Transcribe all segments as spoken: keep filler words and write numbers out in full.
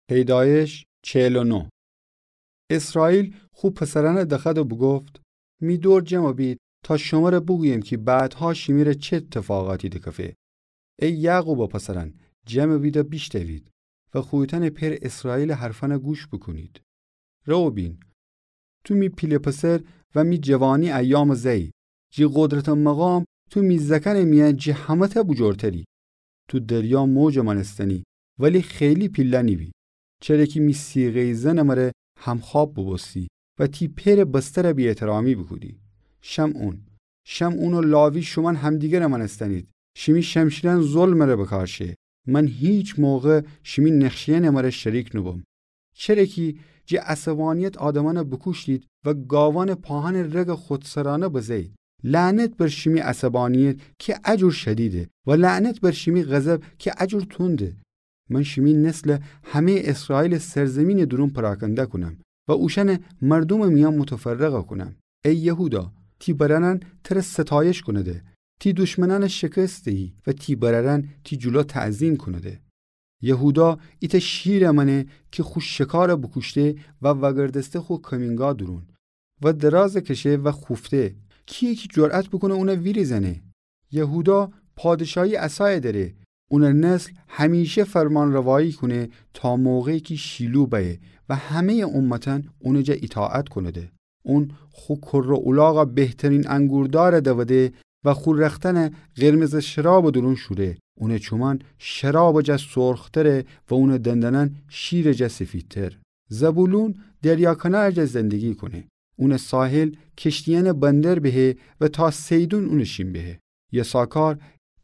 پیدایش چهل و نه. اسرائیل خو پسرأنَ دخوأد و بوگفت: می دور جمع بید تا شمره بوگویم کی بعدها شیمیره چه اتفاقاتی دکفه. ای یعقوبٚ پسرأن، جمع بید و بیشنوید و خویتأنٚ پئر اسرائیلٚ حرفأنَ گوش بوکونید. روبین، تو می پیله پسر و می جوانی ایامٚ زأیی. جی قدرت و مقام تو می زأکأنٚ میأن جی همه‌تأ بوجورتری. تو دریا موجٚ مأنستنی، ولی خیلی پیله نیبی. چره کی می صیغه‌یٚ زنٚ مره همخواب بوبوستی و تی پئرٚ بسترَ بی‌احترامی بوکودی. شمعون، شمعون و لاوی، شومأن همدیگرٚ مأنستنید. شیمی شمشیرأن ظلمٚ ره بکار شه. من هیچ موقع شیمی نقشه‌یأنٚ مره شریک نوبوم. چره کی جی عصبانیت آدمأنَ بوکوشتید و گاوأنٚ پاهنٚ رگَ خودسرأنه بزه‌یید. لعنت بر شیمی عصبانیت کی ا جور شدیده و لعنت بر شیمی غضب کی ا جور تونده. من شیمی نسلَ همه‌یٚ اسرائیلٚ سرزیمینٚ دورون پراکنده کونم و اوشأنَ مردومٚ میأن متفرقَ کونم. ای یهودا، تی برأرأن تره ستایش کونده. تی دشمنأنَ شکست دهی و تی برأرأن تی جلو تعظیم کونده. یهودا ایتأ شیرَ مأنه کی خو شکارَ بوکوشته و وأگردسته خو کمینگاه دورون و درازَ کشه و خوفته. کییه کی جرأت بوکونه اونَ ویریزأنه؟ یهودا پادشاهی عصایَ دأره. اونٚ نسل همیشه فرمانروایی کونه تا موقعی کی شیلو بأیه و همه‌یٚ امتأن اونٚ جا ایطاعت کونده. اون خو کره اولاغَ بهترین انگوردارَ دوده و خو رختأنَ قرمزٚ شرابٚ دورون شوره. اونٚ چومأن شرابٚ جا سرختره و اونٚ دندانأن شیرٚ جا سفیدتر. زبولون دریا کنارٚ جا زندگی کونه. اونٚ ساحل کشتیأنٚ بندر بهه و تا صیدون اونٚ شین بهه. یساکار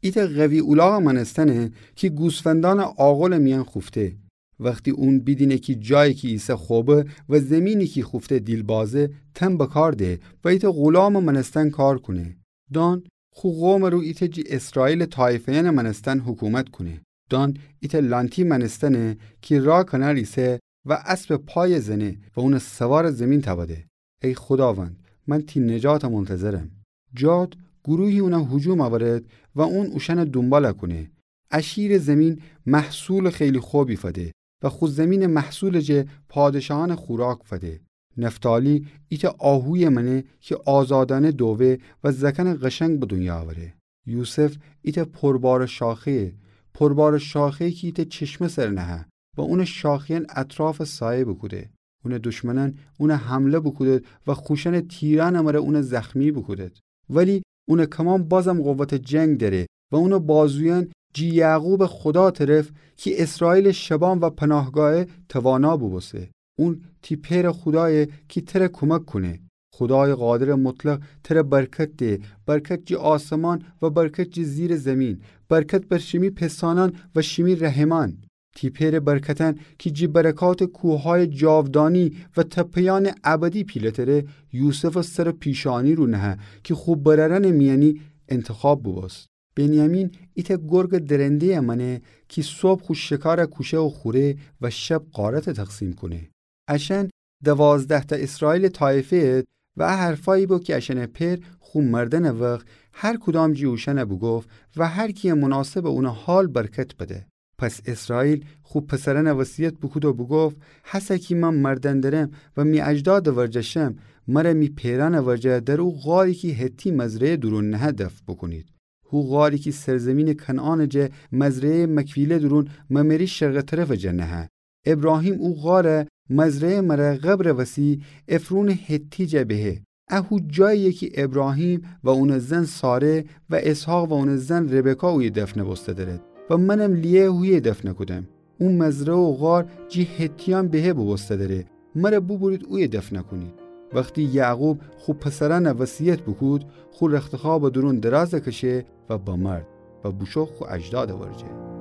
ایتأ قوی اولاغٚ مأنستنه کی گوسفندأنٚ آغلٚ میأن خوفته. وختی اون بیدینه کی جایی کی ایسه خوبه و زیمینی کی خوفته دیلبازه، تن بکار ده و ایتأ غلامٚ مأنستن کار کونه. دان خو قومٚ رو ایتأ جی اسرائیلٚ طایفه‌یأنٚ مأنستن حکومت کونه. دان ایتأ لانتی مأنستنه کی راه کنار ایسه و اسبٚ پایَ زنه و اونٚ سوارٚ زیمین تأوده. ای خوداوند، من تی نجاتَ منتظرم. جاد گروهی اونَ هجوم اورد و اون اوشأنٚ دونبالَ کونه. اشیرٚ زیمین محصولٚ خیلی خوبی فده و خو زیمینٚ محصولٚ جه پادشاهأنٚ خوراک فده. نفتالی ایتأ آهویَ مأنه کی آزادأنه دووه و زأکأنٚ قشنگ به دونیا اوره. یوسف ایتأ پربارٚ شاخه‌یه، پربارٚ شاخه‌یه کی ایتأ چشمه سر نهه و اونٚ شاخه‌یأن اطرافَ سایه بوکوده. اونٚ دشمنأن اونَ حمله بوکودد و خوشأنٚ تیرأنٚ مره اونَ زخمی بوکودد. ولی اونٚ کمان بازم قوتٚ جنگ دأره و اونٚ بازویأن جی یعقوبٚ خودا طرف کی اسرائیلٚ شبان و پناهگاهه توانا بوبوسته. اون تی پئرٚ خودایه کی تره کومک کونه. خودایٚ قادرٚ مطلق تره برکت ده، برکت جی آسمان و برکت جی زیرٚ زیمین، برکت بر شیمی پسانأن و شیمی رحمأن. تی پئرٚ برکتأن کی جی برکاتٚ کوههایٚ جاودانی و تپه‌یأنٚ ابدی پیله‌تره، یوسفٚ سرٚ پیشانی رو نهه کی خو برأرأنٚ میأنی انتخاب بوبوست. بنیامین ایتأ گرگٚ درنده‌یَ مأنه کی صبح خو شکارَ کوشه و خوره و شب غارتَ تقسیم کونه. اشأن دوازده‌تأ اسرائیلٚ طایفه‌یید و ا حرفأیی بو کی اشأنٚ پئر خو مردنٚ وخت هر کدام جی اوشأنَ بوگفت و هر کی‌یَ مناسبٚ اونٚ حال برکت بده. پس اسرائیل خو پسرأنَ وصیت بوکود و بوگفت: هسه کی من مردن درم و می اجدادٚ ورجه شم، مره می پئرأنٚ ورجه در او غاری کی حتی مزرعه دورون نهه دفن بوکونید. هو غاری کی سرزیمینٚ کنعانٚ جه مزرعه‌یٚ مکفیله دورون ممری شرقٚ طرفٚ جه نهه. ابراهیم او غارَ مزرعه‌یٚ مره قبرٚ وسی عفرونٚ حتی جه بهه. ا هو جایی‌یه کی ابراهیم و اونٚ زن ساره و اسحاق و اونٚ زن ربکا اویه دفنَ بوسته درید و منم لیه هویه دفنَ کودم. او مزرعه و غار جی حتیأن بهه بوبوسته دره. مره بوبورید اویه دفنَ کونید. وختی یعقوب خو پسرأنَ وصیت بوکود، خو رختخوابٚ دورون درازَ کشه و بمرد و بوشو خو اجدادٚ ورجه.